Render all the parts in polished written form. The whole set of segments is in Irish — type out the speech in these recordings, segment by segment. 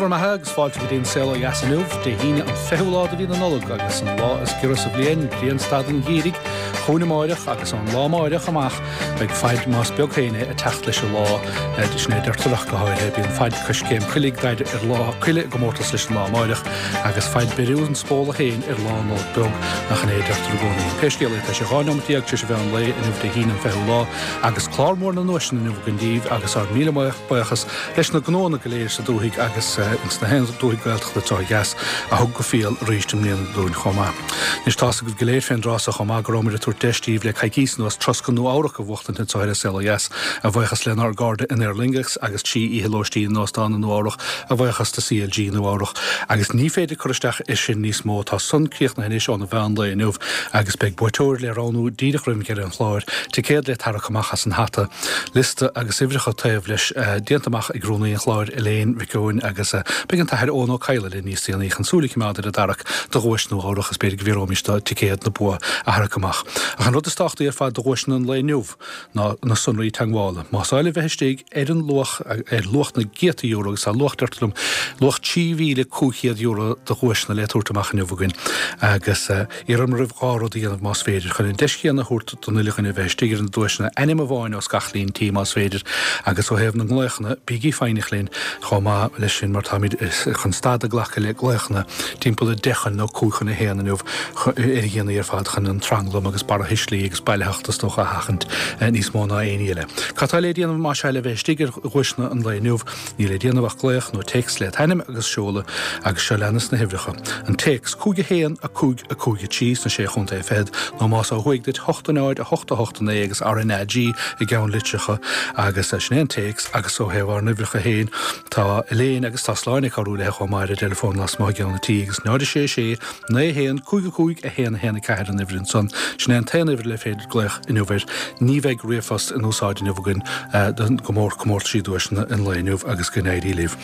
bhur mbeatha agus fáilte go dtí an Saol Ó Dheas inniu, Dé hAoine an 20ú lá de mhí na Nollag agus an lá is giorra sa bhliain, grianstad an gheimhridh, chugainn amáireach agus ón lá amáireach amach beidh faid más beag féin é ag teacht leis an lá, sin é a deirtear ach go háirithe, bíonn faid coiscéim coiligh d'fhaid ar lá coille i gcomórtas leis an lá amáireach agus faid beiriú an spóla féin ar lá Nollag beag, nach in é a deirtear i gcónaí. Pé scéal é tá sé 12 neomat tar éis an mheán lae inniu Dé hAoine an 20ú lá agus clár mór na nduaiseanna inniu againn daoibh agus ár míle buíochas leis na gnóanna go léir sa dúthaigh agus ins na haon dúthaigh Gaeltachta anseo ó dheas a thug go fial arís i mbliana dúinn chomh maith. Anois tá's agaibh go léir fén dtráth so chomh maith go rabhamar ag tabhairt deis daoibh le coicíos anuas troscán Nua Eabhrac a bhuachtaint anseo ar An Saol Ó Dheas a bhuíochas lenár gcairde in Aer Lingus agus 3 oíche lóistín in Óstán i Nua Eabhrac a bhuíochas do CLG Nua Eabhrac agus ní féidir cur isteach air sin níos mó tá san críochnaithe anois óna mheán lae inniu agus beidh buaiteoir le roghnú díreach roimh dheireadh an chláir, ticéad le tarrac amach as an hata. Liosta agus uimhreacha taobh leis déanta amach ag rúnaí an chláir Elaine Mhic Eoin agus beidh an tAthair Eoin Ó Cadhla linn níos déanaí chun súil a choimeád ar an dtarrac do dhuais Nua Eabhrach is b'fhéidir go bhfiafróimis de ticéad na bua a tharrac amach. Ach an rud is tábhachtaí ar fad do dhuaiseanna an lae inniu ná na sonraí teagmhála. Más áil libh bheith istigh ar an luach, ar luach na gcéadta euro agus tá luach, deirtear liom, luach €3,500 de dhuaiseanna le tabhairt amach inniu againn agus iarraim oraibh dhá rud a dhéanamh más féidir chun an deis chéanna a thabhairt don uile dhuine a bheith istigh ar na duaiseanna, ainm amháin os gach líon tí más féidir, agus ó thaobh na nglaochanna, bígí foighneach linn chomh maith leis sin mar táimid chun stad ag glacadh le glaochanna timpeall a deich chun nó cúig chun a haon inniu ar a dhéanaí ar fad chun an tranglam agus barrathuislí agus bailitheacht is dócha a sheachaint níos mó ná aon ní eile. Cad tá le déanamh más ea le bheith istigh ar dhuaiseanna an lae inniu? Níl le déanamh ach glaoch nó téacs le t'ainm agus seoladh agus seo leanas na huimhreacha. An téacs, 5 1 5 5 3 sna Sé Chontae Fichead, nó más ó thuaidh duit, 8 0 8 8 9 agus RnaG i gceannlitreacha agus sin é an téacs agus ó thaobh ár n-uimhreacha féin tá Elaine agus tá Sláine ag cabhrú léi chomh maith ar an dteileafón lasmuigh i gceann an tí agus 0 6 6 9 1 5 5 1 1 4 an uimhir ansan. Sin é an t-aon uimhir le féidir glaoch inniu air. Ní bheidh ríomhphost in úsáid inniu againn don gcomórtas duaiseanna an lae inniu agus go n-éirí libh.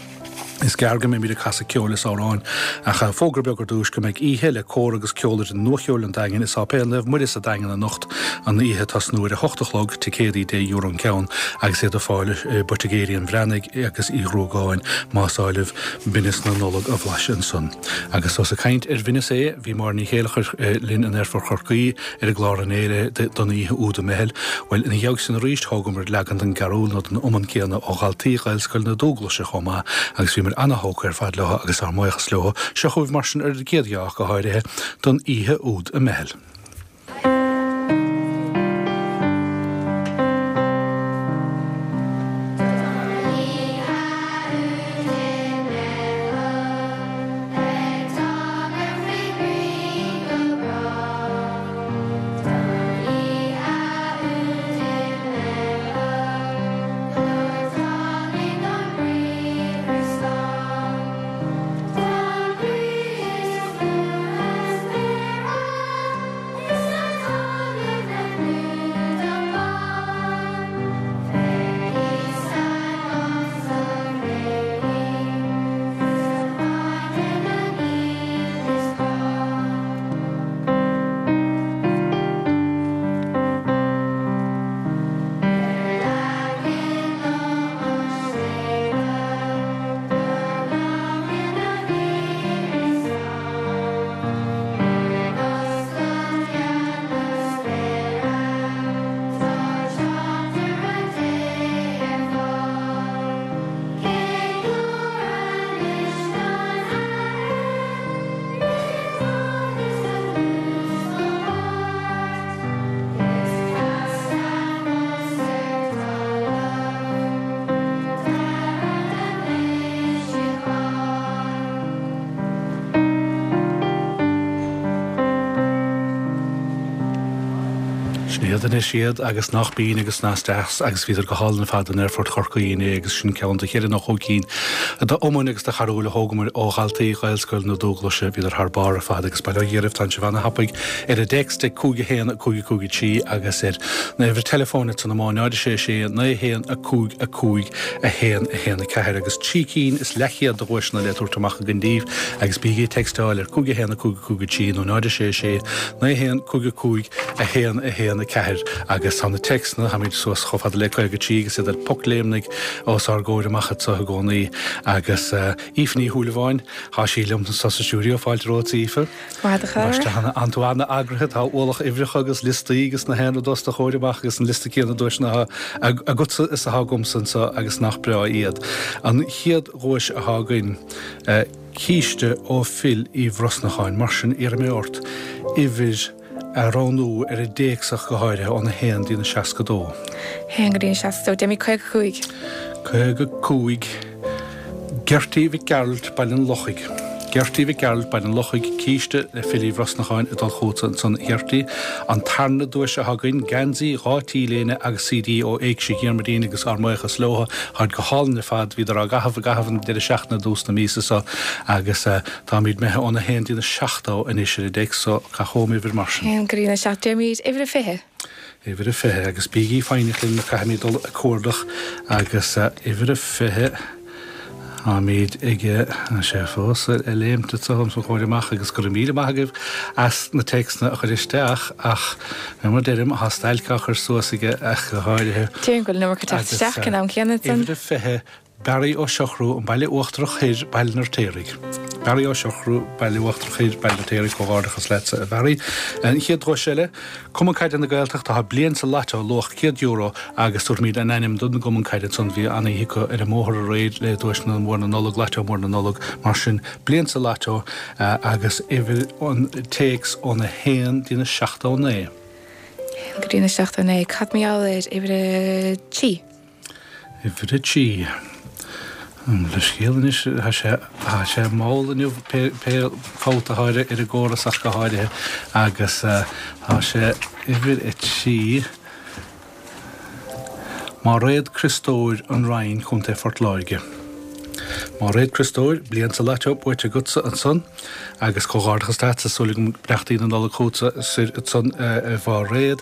Is gearr go mbeimid ag casadh ceoil is amhráin ach fógra beag ar dtúis go mbeidh oíche le cór agus ceolfhoireann Nuacheoil an Daingin i Sáipéal Naomh Muire sa Daingean anocht, an oíche ag tosnú ar a hocht a chlog, ticéadaí deich euro an ceann agus iad ar fáil i bPoitigéirí an Bhreathnaigh agus Uí Ghruagáin más áil libh binneas na Nollag a bhlaiseadh ansan. Agus ós ag caint ar bhinneas é, bhí Máire Ní Chéileachair linn in Aerfort Chorcaí ar an gclár inné don oíche úd i mBeithil. Bhuel, ina dhiaidh sin arís, thógamar leagan den gcarúl nó den iomann céanna ó dhaltaí Ghaelscoil na Dúglaise chomh maith agus bhíomar ana-thógtha ar fad leo agus ár mbuíochas leo. Seo chugaibh mar sin ar an gcéad gheá ach go háirithe, don oíche úd i mBeithil. Sin iad anois iad agus nach binn agus nach deas agus bhíodar go hálainn ar fad in Aerfort Chorcaí inné agus sin ceann de cheithre nó chúig cinn d'iomainn agus de charúil a thógamar ó dhaltaí Ghaelscoil na Dúglaise. Bhíodar thar barr ar fad agus bail ó Dhia oraibh tánn sibh ana-thapaidh ar an dtéacs ag 5 1 5 5 3 agus ar an uimhir teileafóin ansan amuigh 0 6 6 9 1 5 5 1 1 4 agus trí cinn is leathchéad de dhuaiseanna le tabhairt amach againn daoibh agus bígí ag textáil ar 5 1 5 5 3 nó 0 6 6 9 1 5 5 1 1 4. 4 agus tá na téacsanna, táimid suas chomh fada le 53 agus iad ar pocléimnigh os ár gcomhair amach anseo i gcónaí agus Aoife Ní Shúilleabháin, tá sí liom anseo sa stiúideo, fáilte romhat a Aoife. Maith a chara. Tá tú an-eagraithe, tá ualach uimhreacha agus liostaí agus na haon rud os do chomhair amach agus an liosta céanna duaiseanna atá agatsa is atá agamsa anseo agus nach breá iad. An chéad dhuais atá againn, císte ó Phil Uí Bhrosnacháin, mar sin iarrfaidh mé ort uimhir a roghnú ar an dtéacs ach go háirithe, óna haon dtí na 62. 1 go dtí an 62, déanfaimid 55. 55. Gertie Mhic Gearailt, Baile an Lochaigh. Gertie Mhic Gearailt, Baile an Lochaigh, císte le Phil Uí Bhrosnacháin ag dul chugatsa ansan a Ghertie. An tarna duais atá againn, geansaí, 2 T-léine agus CD ó Éigse Dhiarmuidín agus ár mbuíochas leo. Táid go hálainn ar fad, bhíodar á gcaitheamh i gcaitheamh an deireadh seachtaine i dtús na míosa seo agus táimid imithe óna haon dtí na 70 anois ar an dtéacs so caith chugam uimhir mar sin. 1 go dtí na 7, déarfaimid uimhir a 20. Uimhir a 20, agus bígí foighneach linn mar caithfimid dul ag cuardach agus uimhir a 20, táimid ag, tá sé fós ag léimt anseo os mo chomhair amach agus go raibh míle maith agaibh as na téacsanna a chur isteach ach mar a deirim, tá stailc á chur suas aige ach go háirithe. Déarfainn go bhfuil an iomarca ag teacht isteach ag an am céanna. Uimhir a 20, Barry Ó Siochrú, An Baile Uachtarach Thoir, Baile an Fheirtéaraigh. Barry Ó Siochrú, Baile Uachtarach Thoir, Baile an Fheirtéaraigh, Comhghairdeachas leatsa, a Bharry. An chéad dhuais eile, Cumann Caide na Gaeltachta, tá bliain sa Lotto, luach €100 agus tabharfaimid an ainm don gCumann Caide ansan, bhí an-oíche acu ar an mbóthar aréir le duaiseanna mór na Nollag, Lotto mór na Nollag, mar sin, bliain sa Lotto agus uimhir an téacs óna haon dtína 79. Haon go dtína 79. Cad mar gheall ar uimhir a trí? Uimhir a 3. An leithscéal anois, tá sé, tá sé mall inniu pé, pé fabht atá ar, ar an gcóras ach go háirithe agus tá sé uimhir a 3. Máiréad Criostóir, An Rinn, Contae Phort Láirge. Máiréad Criostóir, bliain sa Lotto buaite agatsa ansan agus comhghairdeachas leatsa, súil agam beannachtaí na Nollag chugatsa soir ansan a Mháiréad.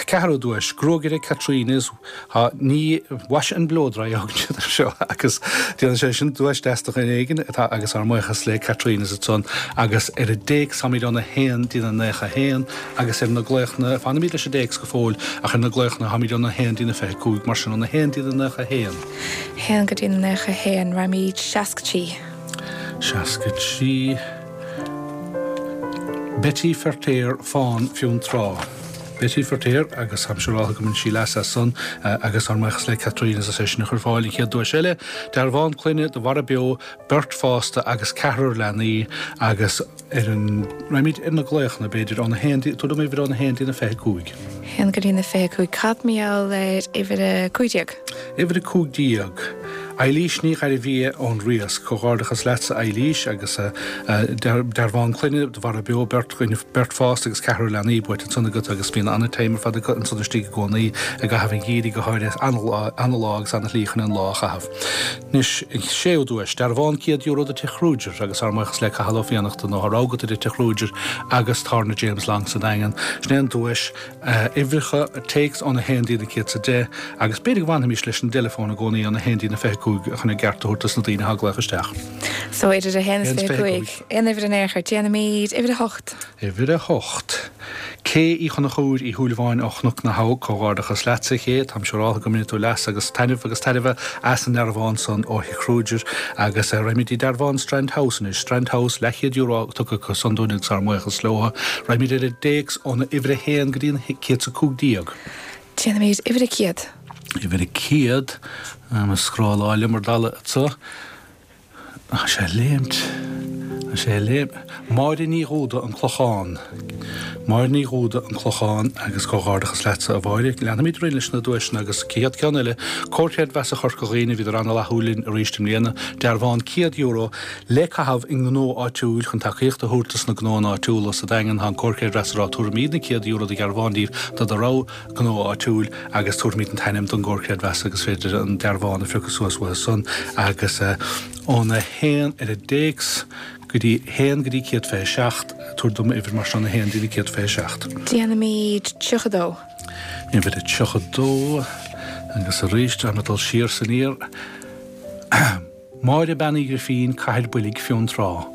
Ceathrú duais, Gruagaire Caitríona's, tá ní wash and blow dry a thugann siad air seo agus déanann sé sin duais deas do dhuine éigin atá agus ár mbuíochas le Caitríona's ansan agus ar an dtéacs táimid óna haon dtína 91 agus ar na glaochanna, fanfaimid leis an dtéacs go fóill ach ar na glaochanna táimid óna haon dtína 25 mar sin óna haon dtína 91. 1 go dtí na 91, raghaimid 63. 63. Betty Feirtéar, Fán, Fionntrá. Betty Feirtéar, agus táim siúráltha go mbain sí leas as san, agus ár mbuíochas le Caitríona as é sin a chur ar fáil. An chéad duais eile, dearbhán clainne do mhara beo, beirt fásta agus ceathrar leanaí, agus ar an, raghaimid ar na glaochanna, b'fhéidir, óna haon, tabhair dom uimhir óna haon dtína 25. 1 go dtí na 25. Cad mar gheall ar uimhir a 15? Uimhir 15. Eilís Ní Ghairbhia ón Riasc. Comhghairdeachas leatsa Eilís agus dearbhán clainne do mhara beo, beirt dhuine, beirt fásta agus ceathrar leanaí buaite ansan agat agus bíonn an-time ar fad acu ansan istigh i gcónaí i gcaitheamh an gheimhridh go háirithe. Ana-lá agus ana-shlí chun an lá a chaitheamh. Anois, an séú duais, dearbhán €100 do Tigh Kruger agus ár mbuíochas le Cathal Ó Fiannachta nó tá rogha agat idir Tigh Kruger agus Tábhairne James Long sa Daingean. Sin é an duais. Uimhreacha téacs óna haon dtí na 110 agus b'fhéidir go bhfanfaimis leis an dteileafón i gcónaí óna haon dtí na 25 chun an gceart a thabhairt dos na daoine atá ag glaoch isteach. So idir a haon is 25. Aon uimhir in aon chor. Déanfaimid uimhir a hocht. Uimhir a hocht. Cé Uí Chonchúir Uí Shúilleabháin ó Chnoc na hAbha, Comhghairdeachas leatsa, a Ché. Táim siúráltha go mbainfidh tú leas agus taitneamh agus tairbhe as an ndearbhán san ó Thigh Kruger agus raghaimid dtí dearbhán Strand House anois. Strand House, leathchéad euro tugtha acu san dúinn agus ár mbuíochas leo. Raghaimid ar an dtéacs óna uimhir a haon go dtí an 115. Déanfaimid uimhir a 100. Uimhir a 100. Tá mé ag scrolláil liom ar dalladh anseo. Tá sé ag léimt. Tá sé ag léimt. Máire Ní Dhúda, An Clochán. Máire Ní Dhúda, An Clochán, agus comhghairdeachas leatsa, a Mháire. Leanfaimid orainn leis na duaiseanna agus an chéad ceann eile, Comhar Creidmheasa Chorca Dhuibhne, bhíodar an-fhlaithiúil linn arís i mbliana, dearbhán €100 le caitheamh i ngnó áitiúil chun tacaíocht a thabhairt dos na gnóanna áitiúla sa Daingean. Tá an Comhar Creidmheasa ag rá tabharfaimid na €100 de dhearbhán díbh do do rogha gnó áitiúil agus tabharfaimid an t-ainm don gComhar Creidmheasa agus féidir an dearbhán a phiocadh suas uathu san agus óna haon ar an dtéacs go dtí haon go dtí 127, tabhair dom uimhir mar sin óna haon dtí 127. Déanfaimid 32. Uimhir a 32 agus arís táim ag dul siar is aniar. Máire Bean Uí Ghrifín, Cathair Boilg, Fionntrá.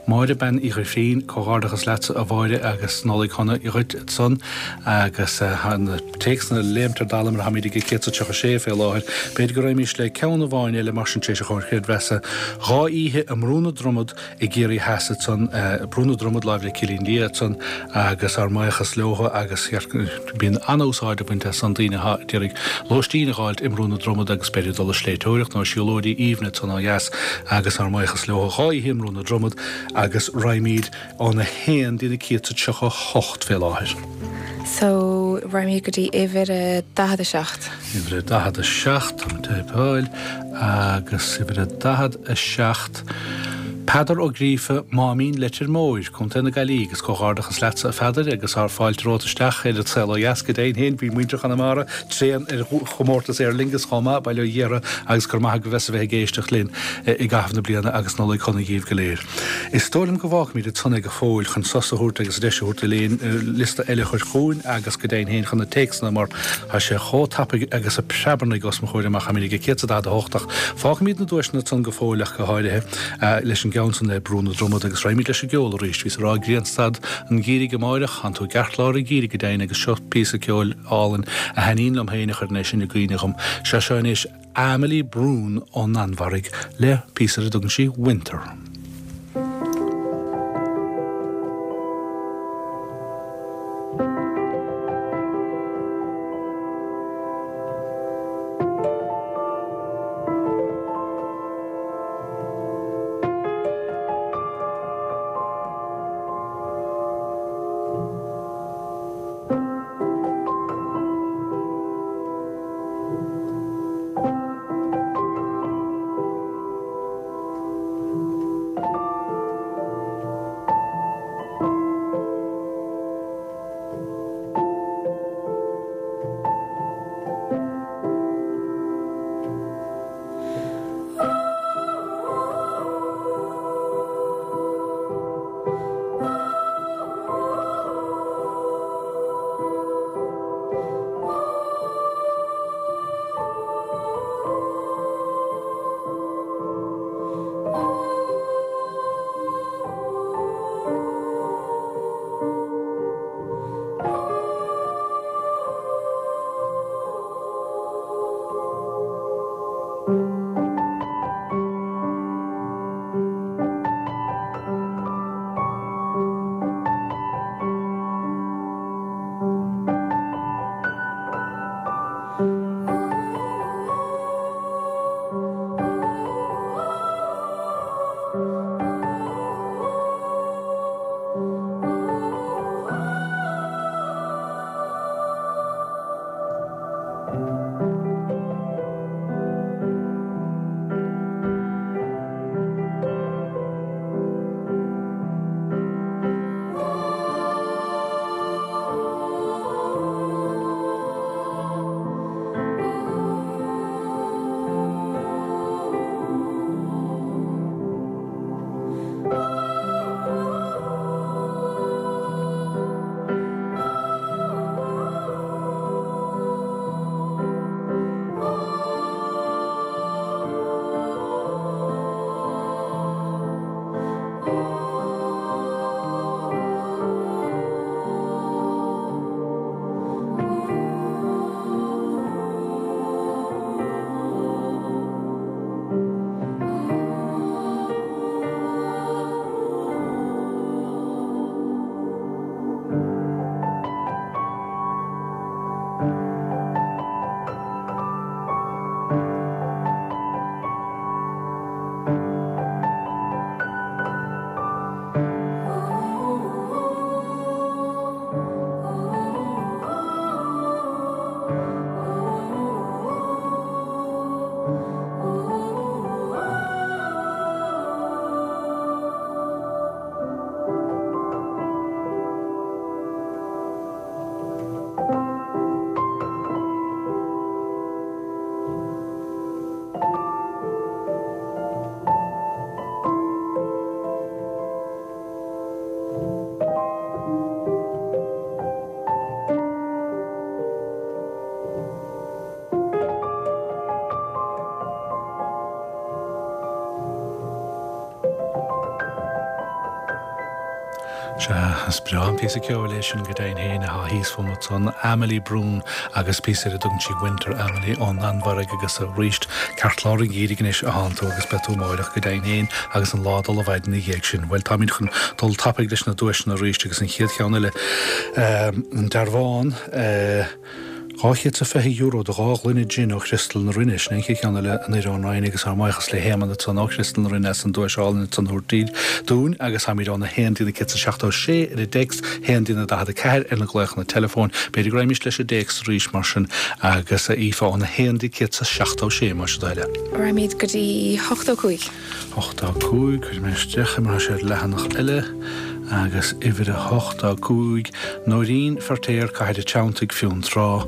Máire Bean Uí Ghrifín, Comhghairdeachas leatsa a Mháire agus Nollaig shona dhuit ansan agus tá na téacsanna ag léimt ar dalladh mar táimid ag 136 fé láthair. B'fhéidir go raghaimís le ceann amháin eile mar sin tar éis an chomhair chreidmheasa. 2 oíche i mBrú na Dromad i gCiarraí Theas ansan, Brú na Dromad láimh le Cillín Liath ansan agus ár mbuíochas leotha agus bíonn an-úsáid á bhaint as san daoine atá ag iarraidh lóistín a dh'fháilt i mBrú na Dromad agus b'fhéidir dul ag sléibhteoireacht nó siúlóidí aoibhne ansan ó dheas agus ár mbuíochas leotha. 2 oíche i mBrú na Dromad agus raghaimid óna haon dtí na 138 fé láthair. So, raghaimid go dtí uimhir a 47. Uimhir a 47, táim ag teipáil, agus uimhir a 47, Peadar Ó Gríofa, Máimín, Leitir Móir, Co. na Gaillimhe, agus comhghairdeachas leatsa a Pheadair agus ár fáilte romhat isteach ar an tsaol ó dheas go deimhin féin. Bhí muintir Chonamara tréan ar chomórtas Aer Lingus chomh maith, bail ó Dhia orthu agus go raibh maith agaibh as a bheith ag éisteacht linn i gcaitheamh na bliana agus Nollaig shona dhíbh go léir. Is dóigh liom go bhfágfaimid ansan é go fóill chun sos a thabhairt agus deis a thabhairt d'Elaine liosta eile a chur chugainn agus go deimhin féin chun na téacsanna mar tá sé chomh tapaidh agus a preabarnaigh os mo chomhair amach táimid ag 148 ach fágfaimid na duaiseanna ansan go fóill ach go háirithe leis an gceann san le Brú na Dromad agus raghaimid leis an gceol arís. Bhíos ag rá grianstad an gheimhridh amáireach, tánn tú i gceartlár an gheimhridh go deimhin agus seo píosa ceoil álainn a thaitníonn liom féin a chuireann é sin i gcuimhne dhom. Seo seo anois. Amalie Bruun ón Danmhairg le píosa ar a dtugann sí 'Winter'. Sea, is breá an píosa ceoil é sin go deimhin féin atá thíos fúm ansan, Amalie Bruun agus píosa ar a dtugann sí Winter Amalie ón Danmhairg agus arís ceartlár an gheimhridh anois atánn tú agus beidh tú amáireach go deimhin féin agus an lá ag dul i bhfaid ina dhiaidh sin. Bhuel, táimid chun dul tapaidh leis na duaiseanna arís agus an chéad cheann eile, an dearbhán, €220 do dhá ghloine jin ó Chriostal na Rinne. Sin é an chéad cheann eile, anoir ón Rinn agus ár mbuíochas le hÉamonn ansan ó Chriostal na Rinne as an duais álainn ansan a thabhairt dúinn agus táimid óna haon dtí na 176 ar an dtéacs, haon dtí na 44 ar na glaochanna teileafóin. B'fhéidir go raghaimís leis an dtéacs arís mar sin agus a Aoife óna haon dtí 176 más é do thoil é. Raghaimid go dtí 85. 85, cuirfidh mé isteach é mar tá sé ar leathanach eile, agus uimhir a 85, Nóirín Feirtéar, Cathair an Treanntaigh, Fionntrá,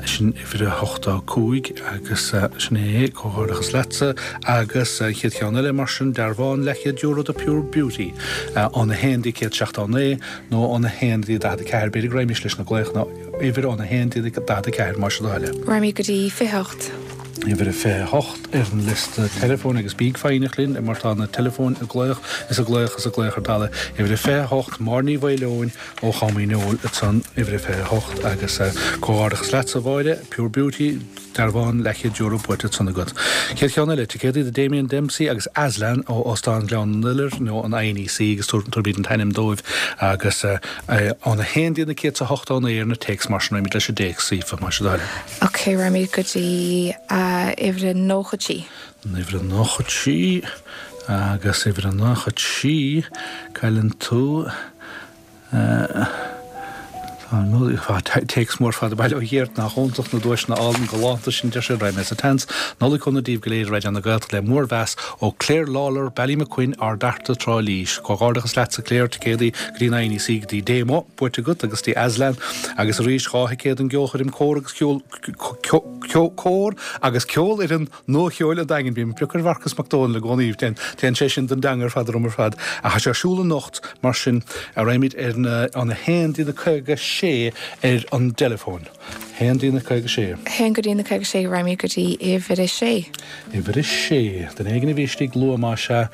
sin uimhir a 85 agus sin é, comhghairdeachas leatsa, agus an chéad cheann eile mar sin, dearbhán leathchéad euro do Pure Beauty, óna haon dtí 179 nó óna haon dtí 44, b'fhéidir go raghaimís leis na glaochanna, uimhir óna haon dtí 44 más é do thoil é. Raghaimid go dtí 28. Uimhir a 28 ar an liosta teileafóin agus bíg foighneach linn mar tá na teileafóin ag glaoch is ag glaoch is ag glaoch ar dalladh. Uimhir a 28, Máire Ní Mhaoileoin ó Chom Uí Neoill ansan, uimhir a 28 agus comhghairdeachas leatsa a Mháire, Pure Beauty, dearbhán leathchéad euro buaite ansan agat. Chéad cheann eile, ticéadaí do Damien Dempsey agus Aslan ó Óstán Ghleann an Iolair nó an INEC agus tabharfaimid an t-ainm dóibh agus óna haon dtí na 189 ar na téacs mar sin raghaimid leis an dtéacs, Aoife, más é do thoil é. Ok, raghaimid go dtí uimhir a 93. An uimhir a 93 agus uimhir a 93, cailleann tú. Tá téacs mór fada baile ó Ghéart nach iontach na duaiseanna álainn galánta sin deir sé raghaidh mé sa tseans. Nollaig shona daoibh go léir i Raidió na Gaeltachta le mór-mheas ó Claire Lawlor, Ballymaquin, Ard Fhearta, Trá Lí. Comhghairdeachas leatsa Claire, ticéadaí go dtí an INEC go dtí Damo buaite agat agus dtí Aslan agus arís 2 thicéad don gceolchoirm cór agus ceol cór agus ceolfhoireann Nua-Cheoil an Daingin. Bím ag piocadh ar Mharcas Mac Dónaill i gcónaí. Téann sé sin don dteanga ar fad orm ar fad. Ach tá sé ar siúl anocht, mar sin, raghaimid ar na, óna haon dtí na 56 ar an dteileafón. Haon dtí na 56. Haon go dtí na 56, raghaimid go dtí uimhir a sé. Uimhir a sé. Duine éigin a bhí istigh luath más ea.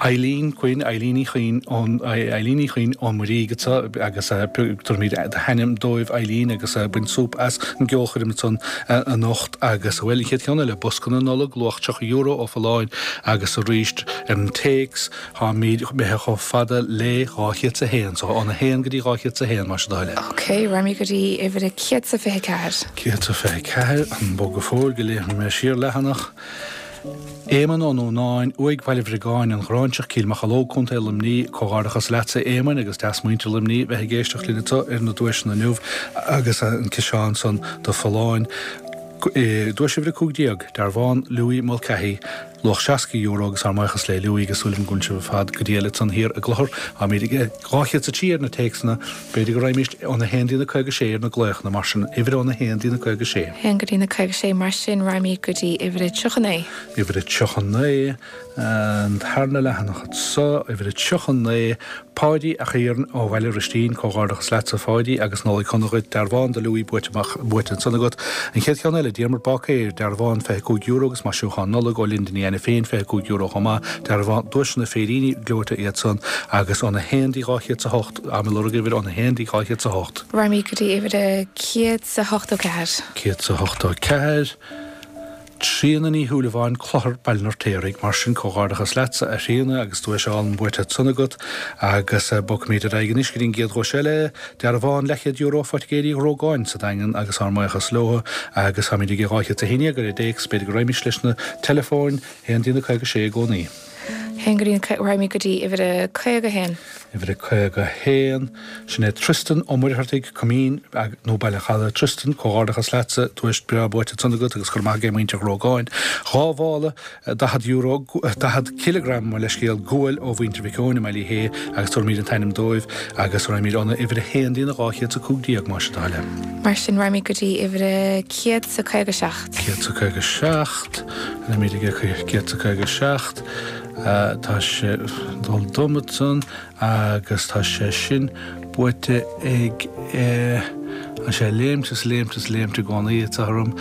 Eileen Quinn, Eileen Uí Chuinn ón, Eileen Uí Chuinn ón Muirígh anseo agus tabharfaimid do hainm dóibh Eileen agus bain súp as an gceolchoirm ansan anocht. Agus, bhuel, an chéad cheann eile, bosca na Nollag, luach €30 ó Folláin agus arís ar an téacs, táimid imithe chomh fada le 201, so óna haon go dtí 201, más é do thoil é. Ok, raghaimid go dtí uimhir a 124. 124, an bog go fóill go léimfidh mé siar leathanach. Éamonn Ó Núnáin, Uaigh Bhaile Bhriogáin, An Ghráinseach, Cill Mocheallóg, Co. Luimní, Comhghairdeachas leatsa a Éamoinn agus deas muintir Luimní bheith ag éisteacht linn anseo ar na duaiseanna inniu agus an ciseán san do Folláin. Duais uimhir 15, Dearbhán Louis Mulcahy, luach €60 agus ár mbuíochas le Louis agus súil agam go bhfuil sibh ar fad go diail ansan thiar i gClochar. Táimid ag 203 ar na téacsanna, b'fhéidir go raghaimís óna haon dtí na 56 ar na glaochanna, mar sin, uimhir óna haon dtí na 56. Haon go dtí na 56, mar sin raghaimid go dtí uimhir a 39. Uimhir a 39. An tarna leathanach anso, uimhir a 39, Páidí 'ac Iarn ó Bhaile Ristín, Comhghairdeachas leatsa a Pháidí agus Nollaig shona dhuit, dearbhán do Louis buaite amach, buaite ansan agat. An chéad cheann eile, Diarmuid Báicéir, dearbhán €25 agus maisiúchán Nollag ó Linda Ní Ainiféin €25 chomh maith, dearbhán, duaiseanna féiríní gleoite iad san agus óna haon dtí 208, ag lorg uimhir óna haon dtí 208. Raghaimid go dtí uimhir a 184. 184. Tríona Ní Shúilleabháin, Clochar, Baile an Fheirtéaraigh. Mar sin, comhghairdeachas leatsa, a Thríona, agus duais álainn buaite ansan agat. Agus bogfaimid ar aghaidh anois go dtí an gcéad dhuais eile, dearbhán leathchéad euro ó Phoitigéirí Ghrógáin sa Daingean agus ár mbuíochas leo. Agus táimid ag 211 ar an dtéacs, b'fhéidir go raghaimís leis na teileafóin, haon dtí na 56 i gcónaí. Haon go dtí na, raghaimid go dtí uimhir a 51. Uimhir a 51, Sin é Tristan Ó Muircheartaigh, Coimín, nó Baile an Chalaidh. Tristan, comhghairdeachas leatsa, duais breá buaite ansan agat agus go raibh maith ag muintir Ghrógáin. Dhá mhála €40, 40 cileagram, mo leithscéal, guail ó mhuintir Mhic Eoin i mBaile Uí Shé agus tabharfaimid an t-ainm dóibh agus raghaimid óna uimhir a haon dtí na 215 más é do thoil é. Mar sin raghaimid go dtí uimhir a 157. 157, raghaimid ag 157. Tá sé ag dul dom ansan agus tá sé sin buaite ag, tá sé ag léimt is léimt is léimt i gcónaí, tá orm,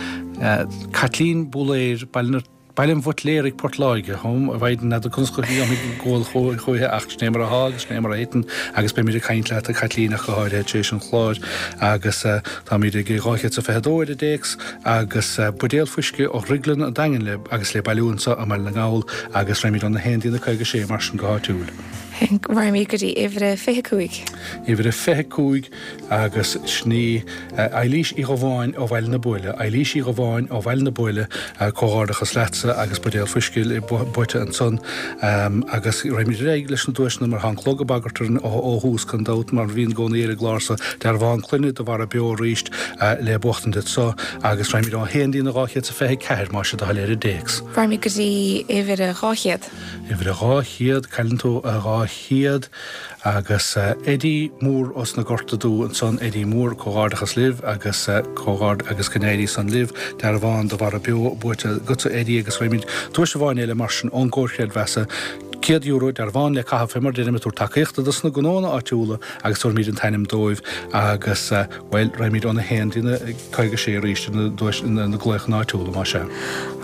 Caitlín Búlaeir, Baile na. Baile an Bhuitléaraigh, Port Láirge. A Mhaighdean, n'fheadar conas a dhéanfaidh an gabháil chúiche ach sin é mar atá agus sin é mar a thiteann agus beimid ag caint leat, a Chaitlín, ach go háirithe tar éis an chláir agus táimid ag 222 ar an dtéacs agus buidéal fuisce ó Dhrioglann an Daingin le agus le bailiú anseo i mBaile na nGall agus raghaimid óna haon dtína 56 mar sin go háitiúil. Raghaimid go dtí uimhir a 25. Uimhir a 25. Agus sin í Eilís Uí Dhubháin ó Bhaile na Buaile. Eilís Uí Dhubháin ó Bhaile na Buaile, comhghairdeachas leatsa agus buidéal fuisce buaite ansan. Agus raghaimid ar aghaidh leis na duaiseanna mar tá an clog ag bagairt orainn ó thús, gan dabht, mar a bhíonn i gcónaí ar an gclár so. Dearbhán clainne do mhara beo arís le buachtaint anso agus raghaimid ó 1 dtína 224 más é do thoil ar an dtéacs. Raghaimid go dtí uimhir a 200. Uimhir a 200, cailleann tú a 200. Agus Eddie Mór ós na Gorta Dubha ansan, Eddie Mór, comhghairdeachas libh agus comhghaird agus go n-éirí san libh. Dearbhán do mhara beo buaite agatsa Eddie agus raghaimid duais amháin eile mar sin ón gComhar Creidmheasa, €100, dearbhán le caitheamh fé mar a deirim ag tabhairt tacaíochta dos na gnóanna áitiúla agus tabharfaimid an t-ainm dóibh agus bhuel raghaimid óna haon dtína 56 arís ar na duais na glaochanna áitiúla más ea.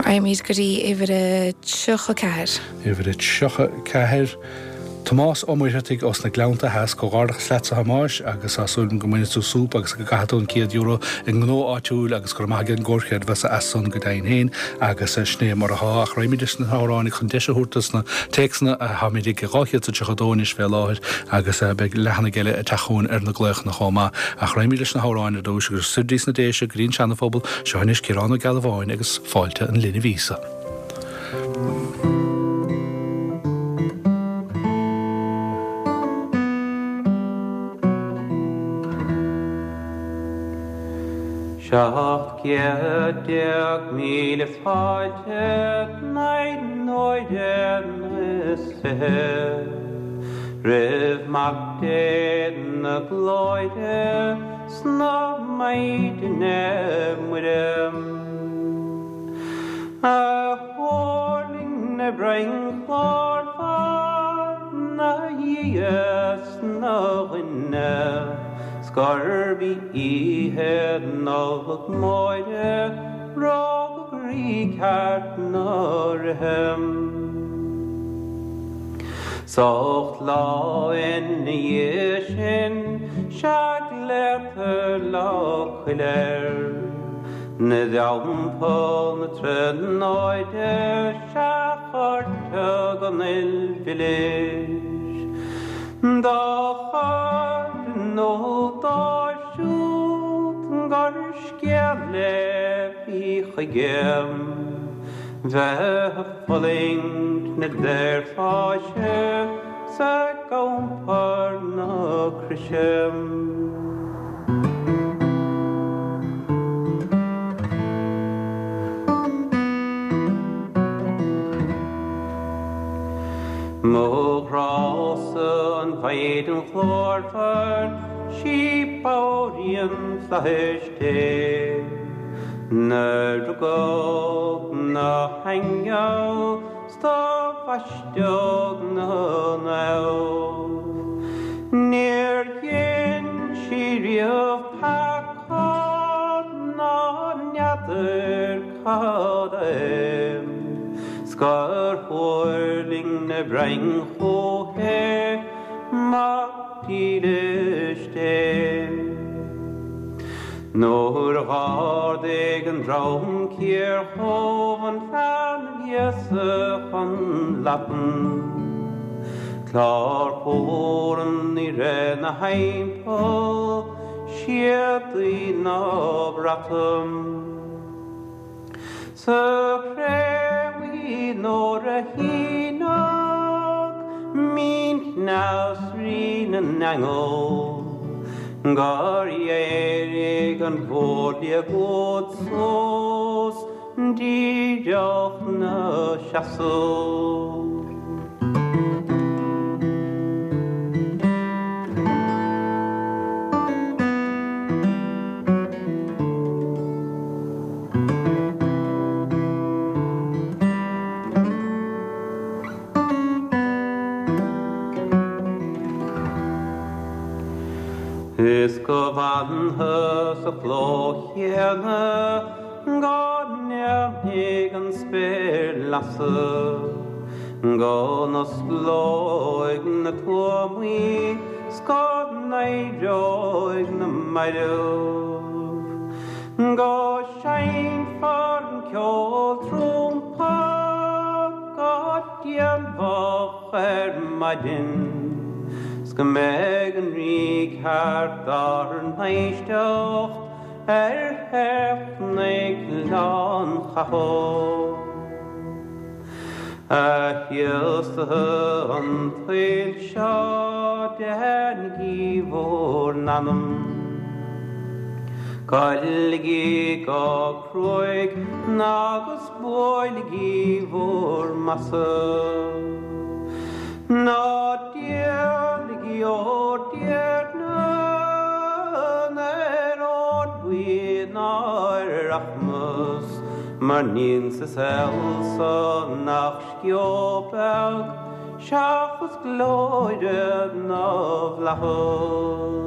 Raghaimid go dtí uimhir a 34. Uimhir a 34. Tomás Ó Muircheartaigh ós na Gleannta Theas, Comhghairdeachas leatsa a Thomáis agus tá súil agam go mbainfidh tú súp agus go gcaithfidh tú an €100 i ngnó áitiúil agus go raibh maith ag an gComhar Creidmheasa as san go deimhin féin agus sin é mar athá ach raghaimid leis na hamhráin chun deis a thabhairt dos na téacsanna táimid ag 232 anois fé láthair agus beidh leathanaigh eile ag teacht chugainn ar na glaochanna chomh maith ach raghaimid leis na hamhráin ar dtúis agus soir dtí sna Déise go dtí an Seana-Phobal seo anois Ciarán Ó Gealbháin agus Fáilte an Linbh Íosa. 17,000 fáilte naoi n-uaire is fiche roimh Mac Dé na Glóire 's na Maighdine Muire. A thuirling 'na broinn ghlórmhar 'na Dhia 's 'na dhuine, 's gurb í oíche Nollag Mhóire rugadh Rí ceart na ríthe. 'S ocht lá ina dhiaidh sin 'sea glaotar Lá Coille air. 'Na dTeampall na Tríonóide 'sea cuirtear an fhuil mhilis dá chur in iúl dóibh siúd gur scéal é bhí chuige bheith ag fulaingt na daorpháise 's ag iompar na croise. Mo ghrása an Mhaighdean ghlórmhar, 'sí bodhraíonn flaithis Dé. 'Nar rugadh 'na haingeal 's do bhaisteadh 'na naomh. Níor dhein sí riamh peaca ná n'fheadar cad é, 's gur thuirling 'na broinn chúithi Mac dílis Dé. Nuair dh'ardaigh an dream cíor dhubh an leanbh Íosa chun leapan, Clár cúraim ní raibh 'na thimpeall séadaí ná brataim. Sa chré bhuí nuair a shíneadh mín-chneas Rí na nAingeal, gur éirigh an mhórliathróid suas díreach 'na seasamh. Is go bhfanfaidh sa chló chéanna go ndéanfaidh. thig an spéir lasadh, go n-osclóidh na tuamaí 's go n-éireoidh na mairbh, go seinnfear an ceol trumpa go dianmhoch ar maidin, 's go mbeidh an rí ceart ár n-éisteacht ar theach Ghleann Chathail. A chíosaithe an tsaoil seo, déanaigí bhur n-anam. Goiligí go cruaidh agus buailigí bhur mbasa. Ná díolaigí bhur dTiarna ar ór buí ná ar rachmas, mar níl sa saol so ach sceo beag seachas glóire na bhflaitheas.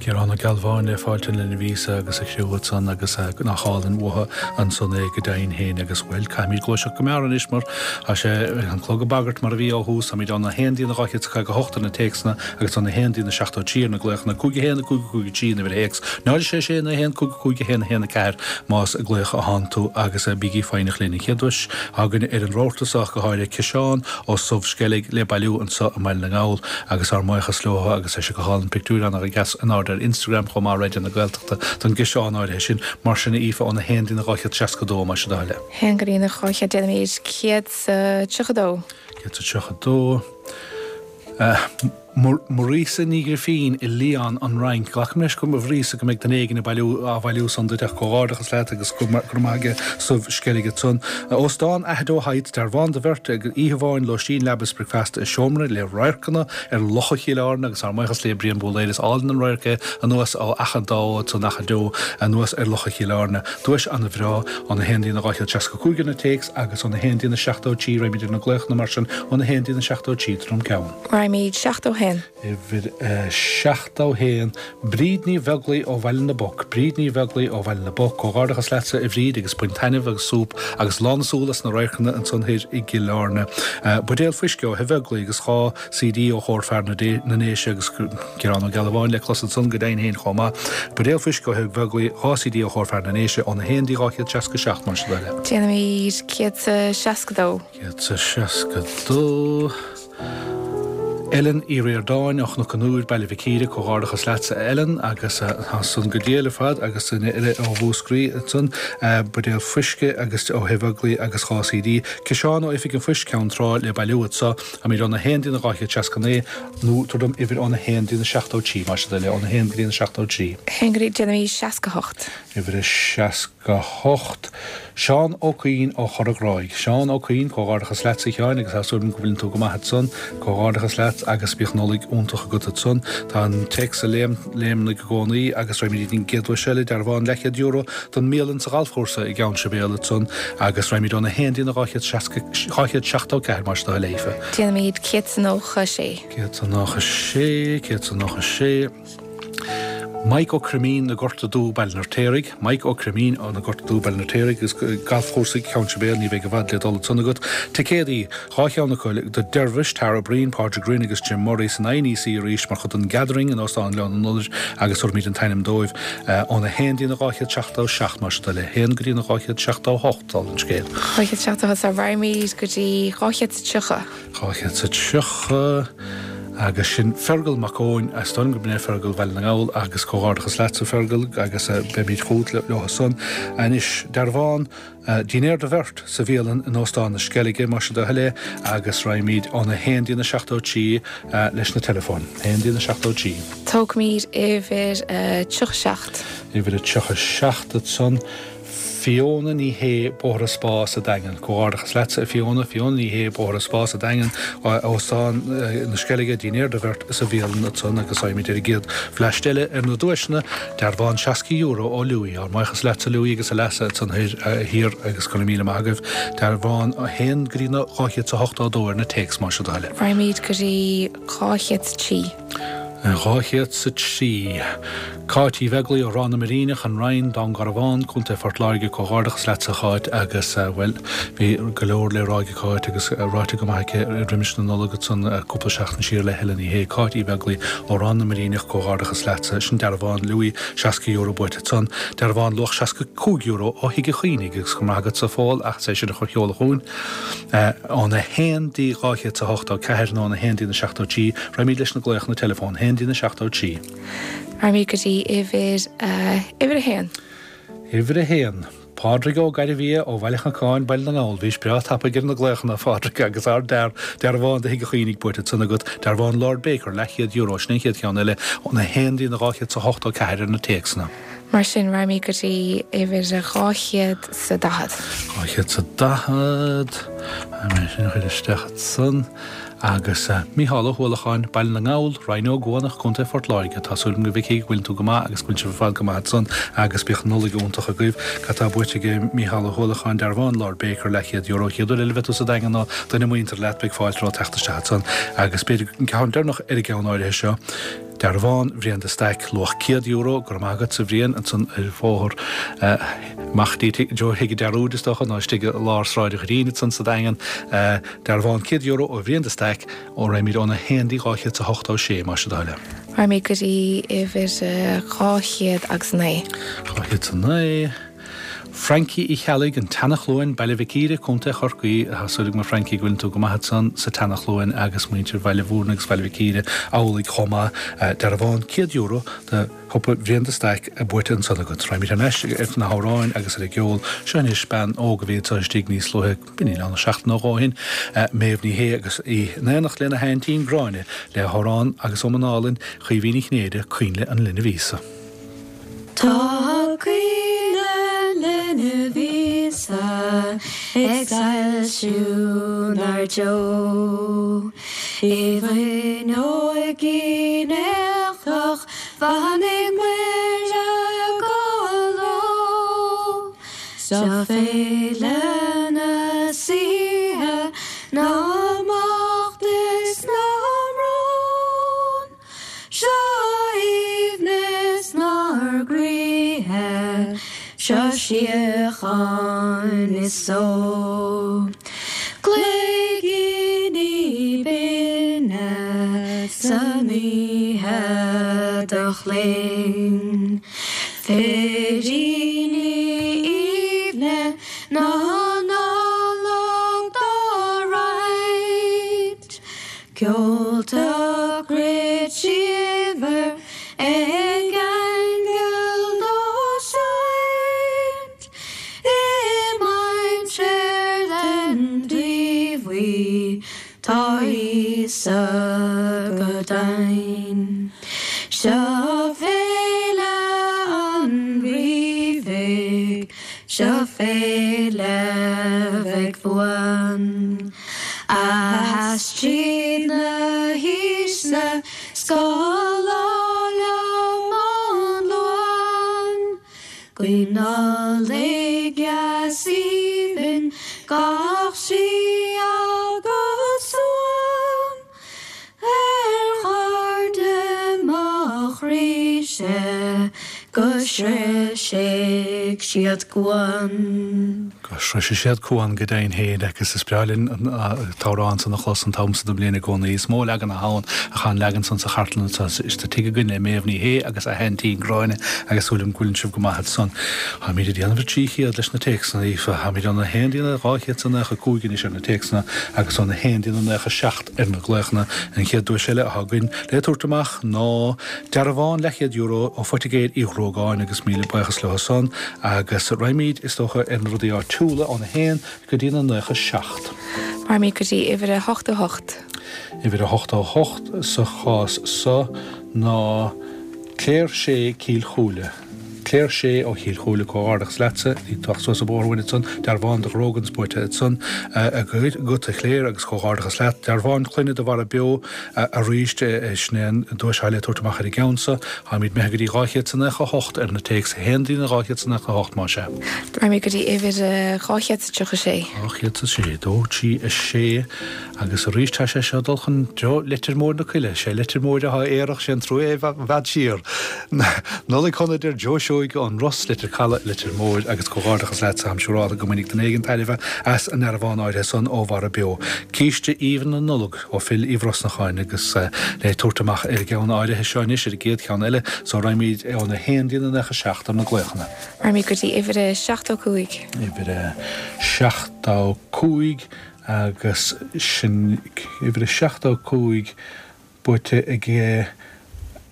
Ciarán Ó Gealbháin le fáilte lena mhíosa agus a chriú ansan agus nach álainn uathu ansan é go deimhin féin agus bhuel caithfimid gluaiseacht go mear anois mar tá sé an clog ag bagairt mar a bhí ó thús. Táimid óna 1 dtína 258 ar na téacsanna agus óna 1 dtína 73 ar na glaochanna, 5 1 5 5 3 an uimhir théacs, 0 6 6 9 1 5 5 1 1 4 más ag glaoch atánn tú agus bígí foighneach linn. An chéad duais againn ar an rabharta so ach go háirithe ciseán ó Subh Sceilg le bailiú anso i mBaile na nGall agus ár mbuíochas leo agus tá sé go hálainn pictiúir an-dheas in airde ar Instagram chomh maith Raidió na Gaeltachta don gciseán áirithe sin. Mar sin a Aoife óna 1 dtína 262 más é do thoil é. 1 go dtína 200 déanaimid 132. 132. Marisa Ní Ghrifín i Lyon, an Fhrainc. Glacaim leis go, a Mharisa, go mbeidh duine éigin ag bailiú, á bhailiú san duit ach comhghairdeachas leat agus go raibh maith ag Subh Sceilg ansan. Óstán Aghadoe Heights, dearbhán do bheirt ag oíche amháin, lóistín, leaba is bricfeasta i seomra le radharcanna ar Locha Chill Airne agus ár mbuíochas le Brian Búlaeir. Is álainn an radharc é anuas ó Achadh an Dá Fhód san Achadh Deo anuas ar Locha Chill Airne. Duais ana-bhreá óna 1 dtína 265 ar na téacs agus óna 1 dtína 73 raghaimid ar na glaochanna mar sin óna 1 dtína 73 Droim Ceann. Raghaimid 71. Uimhir 71, Bríd Ní Bheaglaoi ó Bhaile na bPoc, Bríd Ní Bheaglaoi ó Bhaile na bPoc, Comhghairdeachas leatsa a Bhríd agus bain taitneamh agus súp agus lán na súl as na radharcanna ansan thoir i gCill Airne. Buidéal fuisce ó Thigh Bheaglaoi agus 2 CD ó Chór Fear na nDéise agus Ciarán Ó Gealbháin le clos ansan go deimhin féin chomh maith. Buidéal fuisce ó Thigh Bheaglaoi, 2 CD ó Chór Fear na nDéise óna 1 dtí 267 más é do thoil é. Déanaimid 162. 162. Ellen Uí Ríordáin ó Chnoc an Iúir, Baile Mhic Íre, Comhghairdeachas leatsa a Ellen agus tá san go diail ar fad agus duine eile ó Mhúscraí ansan, buidéal fuisce agus ó Thigh Bheaglaoi agus 2 CD. Ciseán ó Oifig an Phoist, Ceann Trá le bailiú anso. Táimid óna 1 dtína 269 nó tabhair dom uimhir óna 1 dtína 73 más é do thoil é, óna 1 go dtína 73. 1 go dtí, déanaimid 68. Uimhir 68. Seán Ó Cuinn ó Chora Ghráig. Seán Ó Cuinn, comhghairdeachas leatsa a Sheáin agus tá súil agam go bhfuileann tú go maith ansan. Comhghairdeachas leat agus bíodh Nollaig iontach agat ansan. Tá an téacs ag léimnigh i gcónaí agus raghaimid go dtí an gcéad duais eile, dearbhán leathchéad euro don mbialann sa ghalfchúrsa i gCeann Sibéal ansan agus raghaimid óna 1 dtína 274 más é do thoil é a Aoife. Déanaimid 196. 196, 196. Mike Ó Croimín, Na Gorta Dubh, Baile an Fheirtéaraigh, Mike Ó Croimín ó Na Gorta Dubh, Baile an Fheirtéaraigh agus galfchúrsa Cheann Sibéal, ní bheidh i bhfad le dul ansan agat. Ticéadaí, 2 cheann acu, do Dervish, Tara Breen, Pádraig Rynne agus Jim Murray san INEC arís mar chuid den Gathering in Óstán Ghleann an Iolair agus tabharfaimid an t-ainm dóibh óna 1 dtína 277 más é do thoil é, 1 go dtína 278 dála an scéil. 278 raghaimid go dtí 230. 230 agus sin Fergal Mac Eoin, is dóigh liom gurb in é Fergal Bhaile na nGall agus comhghairdeachas leatsa Fergal agus beimid chugat leo san. Anois, dearbhán, dinnéar do bheirt sa bhialann in Óstán na Sceilge, más é do thoil é, agus raghaimid óna 1 dtína 73 leis na teileafóin. 1 dtína 73. Tógfaimid uimhir 37. Uimhir 37 ansan. Fiona Ní Shé, Bóthar an Spá sa Daingean. Comhghairdeachas leatsa a Fiona. Fiona Ní Shé, Bóthar an Spá sa Daingean, Óstán na Sceilge, dinnéar do bheirt sa bhialann ansan agus raghaimid ar an gcéad bhleaist eile ar na duaiseanna, dearbhán €60 ó Louis. Ár mbuíochas leatsa Louis agus Aleasa ansan thiar agus go raibh míle maith agaibh. Dearbhán 1 go dtí na 282 ar na téacs más é do thoil é. Raghaimid go dtí 203. 203. Cáit Uí Bheaglaoi ó Ráth na Muiríneach, An Rinn, Dún Garbhán, Co. Phort Láirge, Comhghairdeachas leatsa a Cháit agus, bhuel, bhí go leor le rá ag Cáit agus ráite go maith aici roimis na Nollag ansan cúpla seachtain siar le Helen Ní Shé. Cáit Uí Bheaglaoi ó Ráth na Muiríneach, Comhghairdeachas leatsa. Sin dearbhán Louis, €60 buaite ansan. Dearbhán luach €65 ó Thigh an Chaoinigh agus go raibh maith agatsa a Phóil as é sin a chur sheoladh chugainn. Óna haon dtí 284 nó óna haon dtí na 73, raghaimid leis na glaochanna teileafóin, haon dtí na 73. Raghaimid go dtí uimhir, uimhir a haon. Uimhir a haon. Pádraig Ó Gairbhia ó Bhaile Chnocáin, Baile na nGall. Bhís breá tapaidh ar na glaochanna, a Phádraig, agus ard-fhear, dearbhán de Thigh an Chaoinigh buaite ansan agat, dearbhán Lord Baker, leathchéad euro, sin an chéad cheann eile, óna haon dtí na 284 ar na téacsanna. Mar sin, raghaimid go dtí uimhir 240. 240, mé sin a chur isteach ansan. Agus Mícheál Ó hUallacháin, Baile na nGall, Rinn Ó gCuanach, Co. Phort Láirge. Tá súil agam a Mhicí go bhfuileann tú go maith agus go bhfuil sibh ar fad go maith ansan agus bíodh Nollaig iontach agaibh. Cad tá buaite aige Mícheál Ó hUallacháin, dearbhán Lord Baker, leathchéad euro. Chéad uair eile a bheidh tú sa Daingean nó duine muinteartha leat, beidh fáilte romhat teacht isteach ansan. Agus b'fhéidir an ceann deireanach ar an gceann áirithe seo, Dearbhán Bhriain de Staic, luach €100, go raibh maith agatsa a Bhriain, ansan ar bhóthar amach dtí Tigh Joe Thigh an Dearúid is dócha, nó istigh i lár Sráid an Ghreen ansan sa Daingean. Dearbhán €100 ó Bhriain de Staic, ó raghaimid óna haon dtí 286, más é do thoil é. Raghaimid go dtí uimhir 209. 209. Francie Uí Cheallaigh, An tSeana-Chluain, Baile Mhic Íre, Co. Chorcaí, Tá súil agam a Francie go bhfuileann tú go maith ansan sa tSeana-Chluain agus muintir Bhaile Mhúirne agus Bhaile Mhic Íre amhlaidh chomh maith. Dearbhán €100 do shiopa Bhriain de Staic buaite ansan agat. Raghaimid thar n-ais ar na hamhráin agus ar an gceol. Seo anois bean óg a bhí anseo istigh níos luaithe, b'in níl ann ach seachtain nó dhó ó shin, Méabh Ní Shé agus í in éineacht lena haintín Gráinne le hamhrán agus iomann álainn Chaoimhín Uí Chinnéide, Coinnle an Linbh Íosa. Tá coinnle an Linbh Íosa ag soilsiú 'nár dtreo. I bhfuinneoigín éagach bheannaigh Muire go luath. Seo féile na saoithe na mbocht is na mbrón. Seo aoibhneas 'nár gcroíthe, seo síocháin is só. Cloigíní binne san oíche do chling, Firíní aoibhne na Nollag dá roinnt. Ceolta cruit síomhar ag aingil dá seinnt i mainséar den diabhail tá Íosa go deimhin. Seo féile an Rí bhig. Seo féile bheidh buan, a sheas tríd na haoiseanna 's gach lá liom an Luan. Guím Nollaig dheas aoibhinn gach sí agus suan. Ar chairde mo chroí-se go sroisfidh siad cuan. Go sroisfidh siad cuan go deimhin féin agus is breá linn an t-amhrán san a chlos an t-am so den bhliain i gcónaí. Is mó leagan atá ann ach tá an leagan san sa chartlann anseo sa tigh againn le Méabh Ní Shé agus a haintín Gráinne agus súil agam go bhfuileann sibh go maith ansan. Táimid ag déanamh ar 300 leis na téacsanna, Aoife. Táimid óna haon dtí na 295 anois ar na téacsanna agus óna haon dtí na 97. ar na glaochanna. An chéad duais eile atá againn le tabhairt amach ná dearbhán leathchéad euro ó Phoitigéir Uí Ghruagáin agus míle buíochas leo san agus raghaimid, is dócha, ar na rudaí áitiúla óna haon go dtí na 97. Raghaimid go dtí uimhir a 88. Uimhir a 88 sa chás so ná Claire Shea Cill Chúile. Claire Shea ó Chill Chúile, comhghairdeachas leatsa, ag teacht suas an bóthar uainn ansan, dearbhán do Ghrogan's buaite ansan agat a Chléir agus comhghairdeachas leat. Dearbhán clainne do Mhara Beo arís, sin é an duais atá le tabhairt amach ar an gceann so. Táimid imithe go dtí 298 ar na téacs, 1 dtí 298 más ea. Raghaimid go dtí uimhir 236. 206, 2, 3, 6. Agus arís tá sé seo ag dul chun treo Leitir Móir na Coille. Sé Leitir Móir atá aerach, sé an trua é i bhfad siar. Nollaig shona a deir Joe Seoige ón Ros, Leitir Calaidh, Leitir Móir agus comhghairdeachas leatsa, táim siúrálta go mbainfidh duine éigin tairbhe as an ndearbhán áirithe san ó Mhara Beo. Císte aoibhinn na Nollag ó Phil Uí Bhrosnacháin agus le tabhairt amach ar an gceann áirithe seo anois, ar an gcéad cheann eile, so raghaimid óna haon dtí na 97 ar na glaochanna. Raghaimid go dtí uimhir a 75. Uimhir a 75. Agus sin uimhir a 75 buaite ag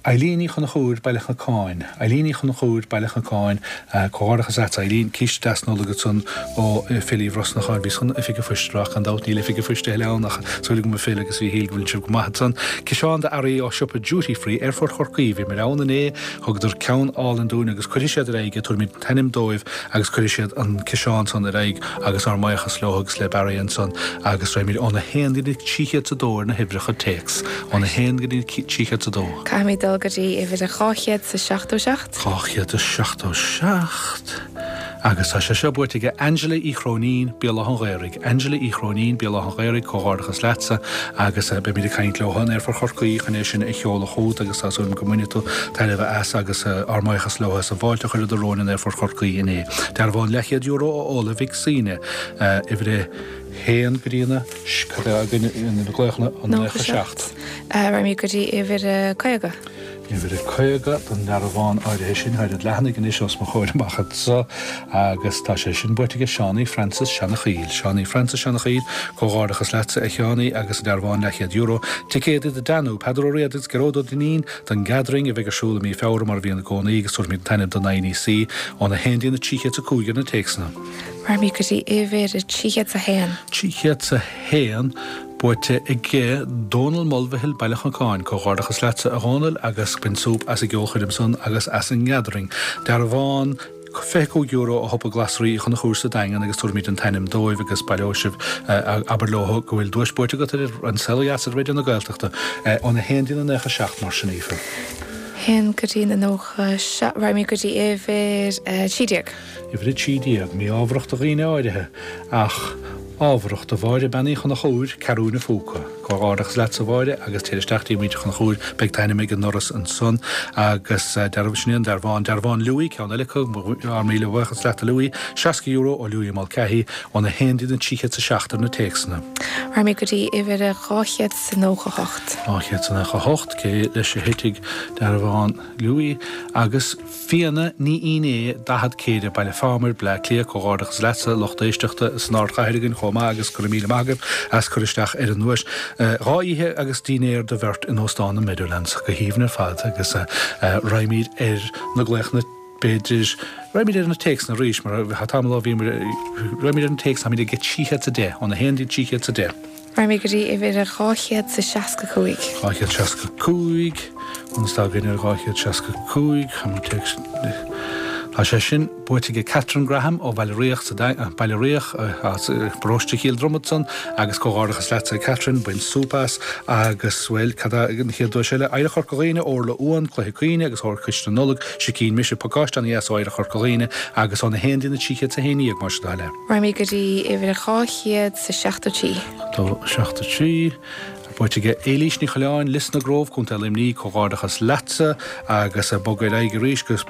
Eileen Uí Chonchúir, Baile Chnocáin. Eileen Uí Chonchúir, Baile Chnocáin. Comhghairdeachas leat, Eileen. Císte deas Nollag ansan ó Phil Uí Bhrosnacháin. Bhíos chun Oifig an Phoist a rá ach gan dabht níl Oifig an Phoist a thuilleadh ann ach súil agam a Phil agus a Mhíchíl go bhfuil sibh go maith ansan. Ciseán d'earraí ó siopa Duty Free, Aerfort Chorcaí. Bhíomar ann inné, thugadar ceann álainn dúinn agus cuirfidh siad ar aghaidh é, tabharfaimid an t-ainm dóibh agus cuirfidh siad an ciseán san ar aghaidh. Agus ár mbuíochas leo agus le Barry ansan agus raghaimid óna haon go dtí 300 's a dó ar na huimhreacha téacs. Óna haon go dtí 300 's a dó. Caithfimid dul go dtí uimhir 277. 277 agus tá sé seo buaite aige Angela Uí Chróinín, Béal Átha an Ghaorthaidh. Angela Uí Chróinín, Béal Átha an Ghaorthaidh, comhghairdeachas leatsa agus beimid ag caint leo in Aerfort Chorcaí chun é sin a sheoladh chugat agus tá súil agam go mbainfidh tú tairbhe as agus ár mbuíochas leo as an bhfáilte a chuireadar romhainn in Aerfort Chorcaí inné. Dearbhán leathchéad euro ó Ola Mhic Suibhne, uimhir a haon go dtí na, cad é againn na glaochanna, an 97. Raghaimid go dtí uimhir a 50. Uimhir a 50 don ndearbhán áirithe sin, tá an leathanaigh anois os mo chomhair amach anso agus tá sé sin buaite aige Seánie Francis Seanachaoil. Seánie Francis Seanachaoil, comhghairdeachas leatsa a Sheánie agus an dearbhán leathchéad euro. Ticéadaí do Danú, Peadar Ó Riada agus Gearóid Ó Duinnín, don Gathering a bheidh ar siúl i mí Feabhra mar a bhíonn i gcónaí agus tabharfaimid an t-ainm don INEC óna haon dtí na 305 ar na téacsanna. Raghaimid go dtí uimhir 301. 301 buaite aige Dónal Mulvihill, Baile Chnocáin. Comhghairdeachas leatsa a Dhónaill agus bain súp as an gceolchoirm san agus as an nGathering. Dearbhán. €25 ó shiopa glasraí Uí Chonchúir sa Daingean agus tabharfaimid an t-ainm dóibh agus baileoidh sibh, abair leo go bhfuil duais buaite agat ar An Saol Ó Dheas ar Raidió na Gaeltachta óna haon dtí na 97 mar sin Aoife. 1 go dtí na 97, raghaimid go dtí uimhir 13. Uimhir 13, mí-ámharach do dhaoine áirithe ach ámharach do Mháire Bean Uí Chonchúir, Ceathrún a' Phúca. Comhghairdeachas leatsa a Mháire agus téir isteach dtí muintir Chonchúir, beidh t'ainm ag an ndoras ansan agus dearbh, sin é an dearbhán, dearbhán Louis, ceann eile acu, ár míle buíochas leat a Louis, €60 ó Louis Mulcahy, óna haon dtí na 307 ar na téacsanna. Raghaimid go dtí uimhir 298. 298, cé leis a thitfidh dearbhán Louis agus. Fíona Ní Fhínné, 40 Céire, Baile Phámar, Bleá Cliath, Comhghairdeachas leatsa, lucht éisteachta san ardchathair againn chomh maith agus go raibh míle maith agaibh as cur isteach ar an nduais. 2 oíche agus dinnéar do bheirt in Óstán an Meadowlands. Go haoibhinn ar fad agus raghaimid ar na glaochanna b'fhéidir, raghaimid ar na téacsanna arís mar tá tamall ó bhíomar, raghaimid ar na téacsanna, táimid ag 310, óna haon dtí 310. Raghaimid go dtí uimhir 265. 265, conas tá againn ar 265, tá sé sin buaite aige Catherine Graham ó Bhaile Riach sa Baile Riach as paróiste Chill Dromad san agus comhghairdeachas leatsa a Catherine, bain súp as agus, bhuel, cad é an chéad duais eile? Oidhreacht Chorca Dhuibhne, Orla Uan, Cluiche Caoine agus Órchiste na Nollag, Sicín Mise, pacáiste ana-dheas ó Oidhreacht Chorca Dhuibhne agus óna haon dtí na 311 más é do thoil é. Raghaimid go dtí uimhir 273. 73, buaite aige Éilís Ní Choileáin, Lios na gCrobh, Contae Luimnigh, Comhghairdeachas leatsa agus bog ar aghaidh arís go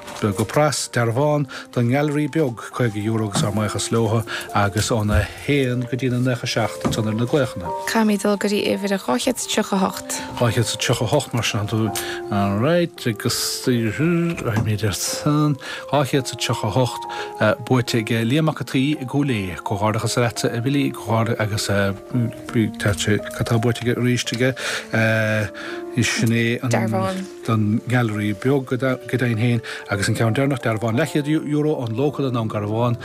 pras, dearbhán don nGailearaí Beag, €50 agus ár mbuíochas leo agus óna haon go dtí na 97 ansan ar na glaochanna. Caithfimid dul go dtí uimhir 238. 238 mar sin tú. Alright agus raghaimid ar san. 238 buaite ag Liam Mac an tSaoi i gCúil Aodha. Comhghairdeachas leatsa a Bhilly agus tá sé cad tá buaite aige arís aige sin é an Dearbhán. don nGailearaí Beag go deimhin féin agus an ceann deireanach dearbhán leathchéad euro ón Local i nDún Garbhán.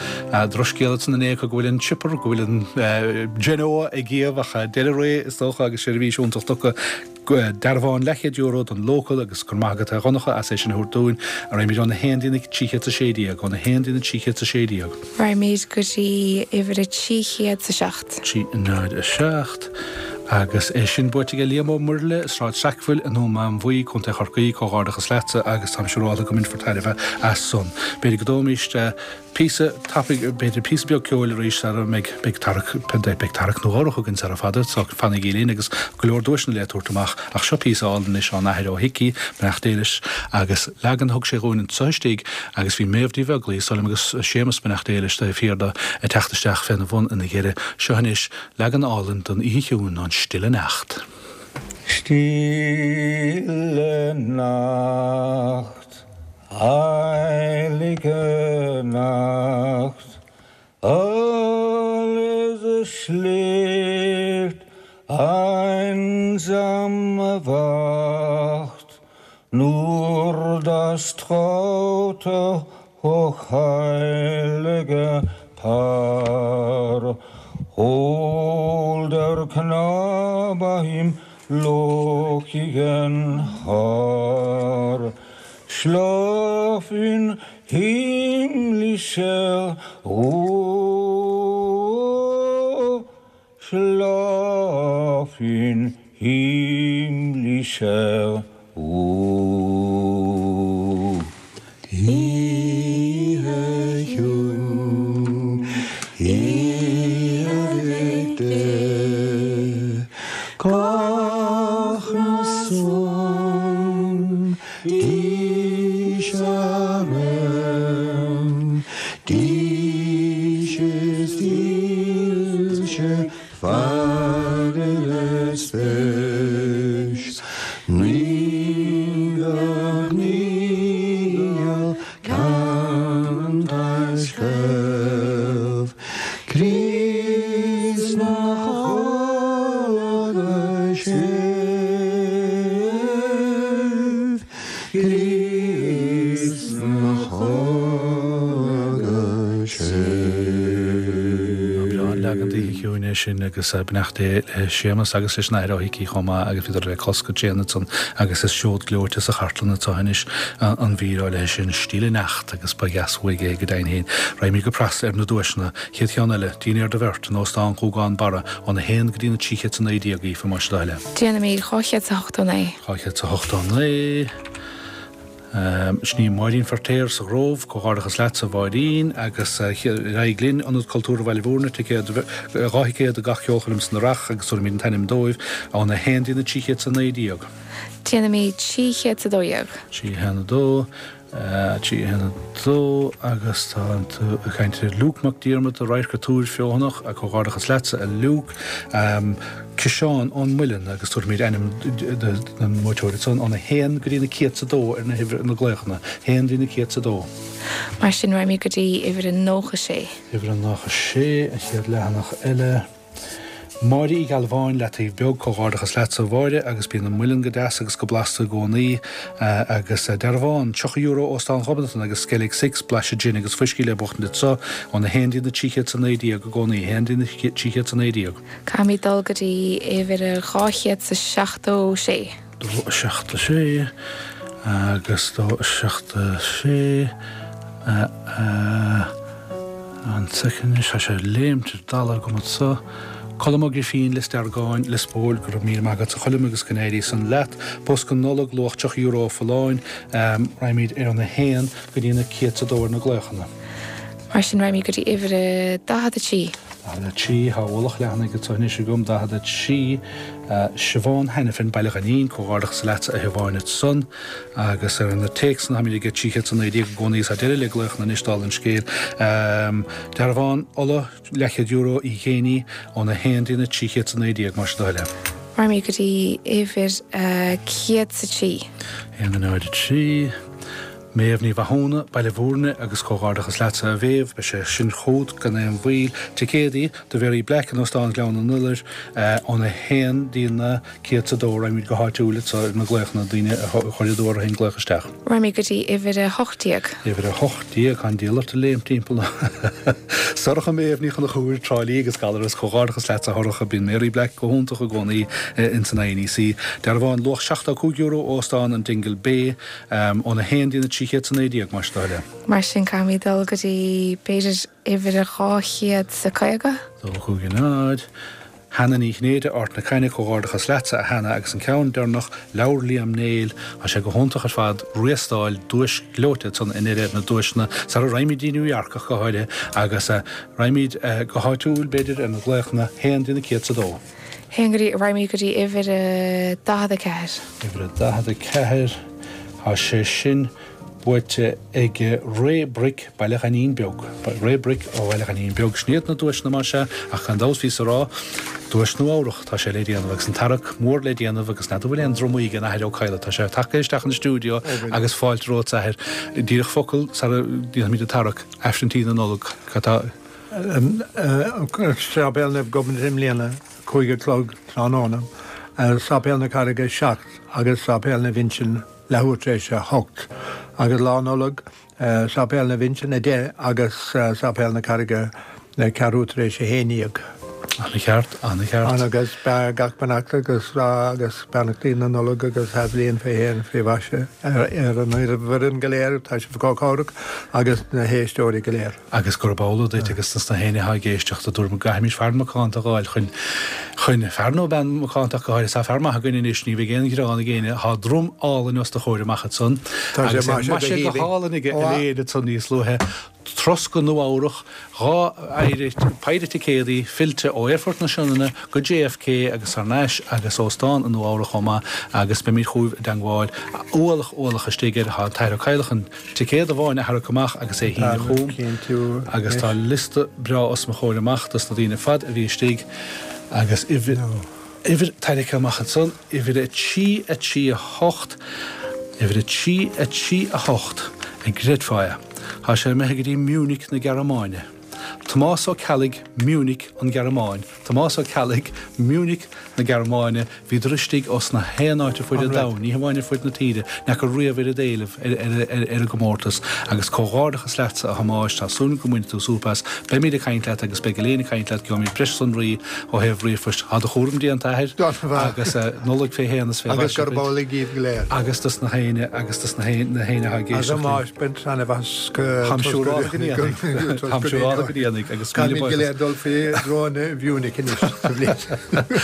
Drochscéal ansan inné acu go bhfuil an chipper go bhfuil an Genoa ag iamh ach deireadh ré is dócha agus seirbhís iontach tugtha. Dearbhán leathchéad euro don Local agus go raibh maith agat a Dhonncha as é sin a thabhairt dúinn. Raghaimid óna haon dtí na 316, óna haon dtí na 316. Raghaimid go dtí uimhir a 307. 3 0 7. Agus é sin buaite aige Liam Ó Muirthile, Sráid Sackville i nDún Mánmhaí, Co. Chorcaí, comhghairdeachas leatsa agus táim siúrálta go mbainfear tairbhe as san. B'fhéidir go dtógfaimís píosa tapaidh, b'fhéidir píosa beag ceoil arís sara mbeidh, beidh tarrac, beidh tarrac nó dhó chugainn sara fada, so fanaigí linn agus go leor duaiseanna le tabhairt amach ach seo píosa álainn anois ón Athair Ó hIcí, beannacht Dé leis, agus leagan a thug sé dhúinn anso istigh agus bhí Méabh Ní Bheaglaoí, is dóigh liom, agus Séamus, beannacht Dé leis, taobh thiar de, ag teacht isteach féna bhun ina dheireadh. Seo anois leagan álainn don Oíche Chiúin ón Stille Nacht. Stille Nacht, Heilige Nacht, alles schläft, einsam wacht nur das traute hochheilige Paar. Holder Knabe im lockigen Haar, schlaf in himmlischer Ruh, schlaf in himmlischer Ruh. Oíche chiúin, oíche Mhic Dé, gach son dís arm, dís is dílse Fear spéis ní níl ceann taisceamh Críost na choda sibh Críost na choda sibh. Breá an leagan d'Oíche Chiúin é sin agus beannacht Dé le Séamus agus leis an Athair Ó hIcí chomh maith agus bhíodar le clos go tréan ansan agus is seod gleoite sa chartlann atá anois an mhír áirithe sin Stille Nacht agus ba dheas uaidh é go deimhin féin. Raghaimid go pras ar na duaiseanna. Chéad cheann eile, dinnéar do bheirt in Óstán Ghúgán Barra óna haon go dtí na 319 Aoife más do thoil é. Déanfaimid 289. 289. Sin í Máirín Feirtéar sa Ghrove, comhghairdeachas leatsa a Mháirín, agus ar aghaidh linn, Ionad Cultúrtha Bhaile Bhúirne, ticéad, 2 thicéad do gach ceolchoirm san Earrach agus tabharfaimid an t-ainm dóibh, óna 1 dtí na 319. Déanfaimid 312. 312, 312 agus tá tú ag caint ar Luke Mac Diarmada, Radharc an Túir Feothanach, comhghairdeachas leatsa a Luke. Ciseán ón Muileann agus tabharfaimid ainm don mbuaiteoir ansan óna haon go dtí na céad 's a dó ar na huimhir na glaochanna, haon dtí na céad 's a dó. Mar sin raghaimid go dtí uimhir a 96. Uimhir a 96, an chéad leathanach eile. Máire Uí Ghealbháin, Leataobh Beag, Comhghairdeachas leatsa a Mháire agus bíonn an muileann go deas agus go blasta i gcónaí. Agus dearbhán, €30 Óstán Ghobnatan agus Skellig Six, blaiseadh gin agus fuiscí le buachtaint anso, óna haon dtí na 300 's 19 i gcónaí, haon dtí na 300 's 19. Caithfimid dul go dtí uimhir a 276. 2 7 6 agus 2 7 6 An soicind anois, tá sé ag léimt ar dalladh agam anso. Colm Ó Grifín, Lios Deargáin, Lios Póil, go raibh míle maith agat a Choilm agus go n-éirí san leat. Bosca Nollag, luach €30 ó Folláin. Raghaimid ar an 1 go dtí na céad 's a dó ar na glaochanna. Mar sin raghaimid go dtí uimhir a 43. 43, Tá ualach leathanaigh anso anois agam, 43, Siobhán Hanafin, Baile Ghainín, Comhghairdeachas leatsa a Shiobháin ansan. Agus ar na téacsanna táimid ag 319 i gcónaí is tá deireadh le glaochanna anois dála an scéil. Dearbhán ola, leathchéad euro, Uí Ghéiní, óna 1 dtí na 319 más do thoil é. Raghaimid go dtí uimhir a 103. 1 0 3. Méabh Ní Mhathúna, Baile Bhúirne agus comhghairdeachas leatsa a Mhéabh, beidh sé sin chugat gan aon mhoill. Ticéadaí do Mhary Black in Óstán Ghleann an Iolair óna haon dtína céad 's a dó. Raghaimid go háitiúil anso ar na glaochanna, daoine a chuir a dúradh féin glaoch isteach. Raghaimid go dtí uimhir 18. Uimhir 18, tá an diabhal ort ag léimt timpeall. Sorcha Méabh Ní Chonchúir, Trá Lí agus Gallaras, comhghairdeachas leatsa a Shorcha, bíonn Mary Black go hiontach i gcónaí ins an INEC. Dearbhán luach €75 ó Óstán an Dingle Bay, óna haon dtína 319 más do thoil é. Mar sin caithfimid dul go dtí b'fhéidir uimhir 250? 2 5 0. Hannah Ní Chinnéide, Ard na Caithne, Comhghairdeachas leatsa, a Hannah, agus an ceann deireanach, leabhar Liam Néill, tá sé go hiontach ar fad, riastáil, duais ghleoite ansan i ndeireadh na duaiseanna, sara raghaimid dtí New York ach go háirithe, agus raghaimid go háitiúil, b'fhéidir, ar na glaochanna, haon dtína céad 's a dó. Haon go dtí, raghaimid go dtí uimhir a 44. Uimhir a 44, tá sé sin buaite ag Ray Brick, Baile Ghainín Beag. Ray Brick ó Bhaile Ghainín Beag. Sin iad na duaiseanna más ea, ach gan dabht bhíos a rá, duais Nua Eabhrach, tá sé le déanamh agus an tarrac mór le déanamh agus n'fheadar bhfuil aon drumaí ag an Athair Ó Cadhla, tá sé tagtha isteach an stiúideo agus fáilte romhat a Athair. Díreach focal sara ndéanfaimid an tarrac, Aifreann Tí na Nollag, cad tá. Séipéal Naomh Gobnait i mbliana, 5 a chlog tráthnóna, Sáipéal na Carraige 7 agus Sáipéal Naomh Uinseann leathuair tar éis a 8 agus Lá Nollag, Sáipéal Naomh Uinseann 10 agus Sáipéal na Carraige ceathrú tar éis a 11. Ana-cheart, ana-cheart. Agus gach beannacht agus agus beannachtaí na Nollag agus athbhliain fé shéan fé mhaise ar an bhfoireann go léir, tá sibh chomh cabhrach agus na héisteoirí go léir. Agus gurb amhlaidh duit agus dos na héinne atá ag éisteacht, a dúirt go gcaithfimid fear macánta a dh'fháil chun, chun, fear nó bean mhacánta ach go háirithe. Tá fear maith againn anois, ní bheidh aon ghearán ag éinne. Tá drum álainn os do chomhair amach ansan. Tá sé Agus é maise go maise go haoibhinn. hálainn aige Ó a. Elaine ansan níos luaithe. Turas go Nua Eabhrach, 2 phéire, péire ticéadaí fillte ó Aerfort na Sionainne go JFK agus thar n-ais agus óstán i Nua Eabhrach chomh maith agus beimid chugaibh i dteangmháil. Ualach, ualach istigh air. Tá an tAthair Ó Cadhla chun Ticéad amháin a tharrac amach agus é a shíneadh chugam agus tá liosta breá os mo chomhair amach dos na daoine ar fad a bhí istigh agus uimhir, uimhir tarraicthe amach ansan, uimhir 3, 3, 8, uimhir 3, 3, 8, an gcreidfeá é? Tá sé imithe go dtí Munich na Gearmáine. Tomás Ó Ceallaigh, Munich, an Ghearmáin. Tomás Ó Ceallaigh, Munich na Gearmáine, Bhíodar istigh os na haon áit ar fuaid an domhain, ní hamháin ar fuaid na tíre, n'fheaca riamh oiread éilimh ar an gcomórtas. Agus comhghairdeachas leatsa, a Thomáis, tá súil agam go mbainfidh tú súp as. Beimid ag caint leat agus beidh Elaine ag caint leat, gheobhaimid breis sonraí ó thaobh ríomhphoist. Tá do chúram déanta, a Athair, agus Nollaig fé shéan is fé mhaise duit. Agus gurb amhlaidh díbh go léir. Agus dos na héinne, agus dos na héinne atá ag éisteacht linn. A Thomáis, bain taitneamh as go. Táim siúrálta go ndéanfaidh. Táim siúrálta go ndéanfaidh agus míle Caithfimid go buíochas. léir dul faoi dhroim Mhunich anois sa bhliain.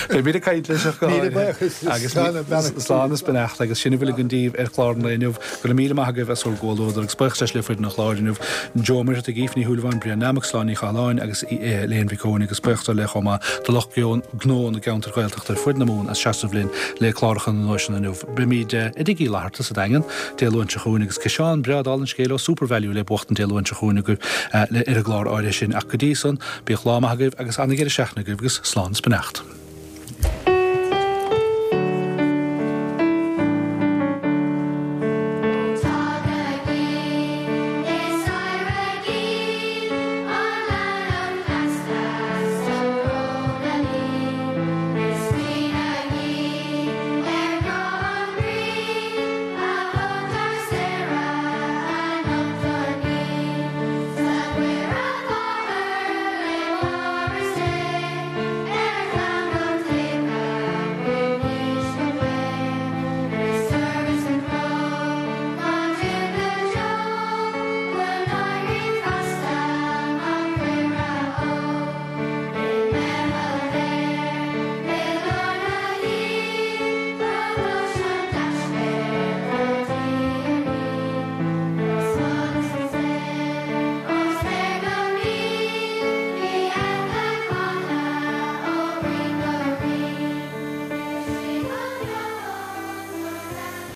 Beimid ag caint leis ach go Míle háirithe. buíochas Agus slán is beannacht. slán is beannacht agus sin a bhfuil againn daoibh ar chlár an lae inniu. Go raibh míle maith agaibh as bhur gcomhluadar agus buíochas leis le foireann an chláir inniu, Joe Ó Muircheartaigh, Aoife Ní Shúilleabháin, Brian Mac Sláin Ní Chathalláin agus Elaine Mhic Eoin agus buíochas ar leith chomh maith do lucht gnó na gceantar Gaeltachta ar fuaid na Mumhan as seasamh linn le cláracha na nduaiseanna inniu. Beimid i dTigh Uí Fhlatharta sa Daingean Dé Luain seo chugainn agus ciseán breá dála an scéil ó Supervalu le buachtaint Dé Luain seo chugainn agaibh ar an gclár áirithe sin ach go dtí san, bíodh lá maith agaibh agus ana-dheireadh seachtaine agaibh agus slán is beannacht.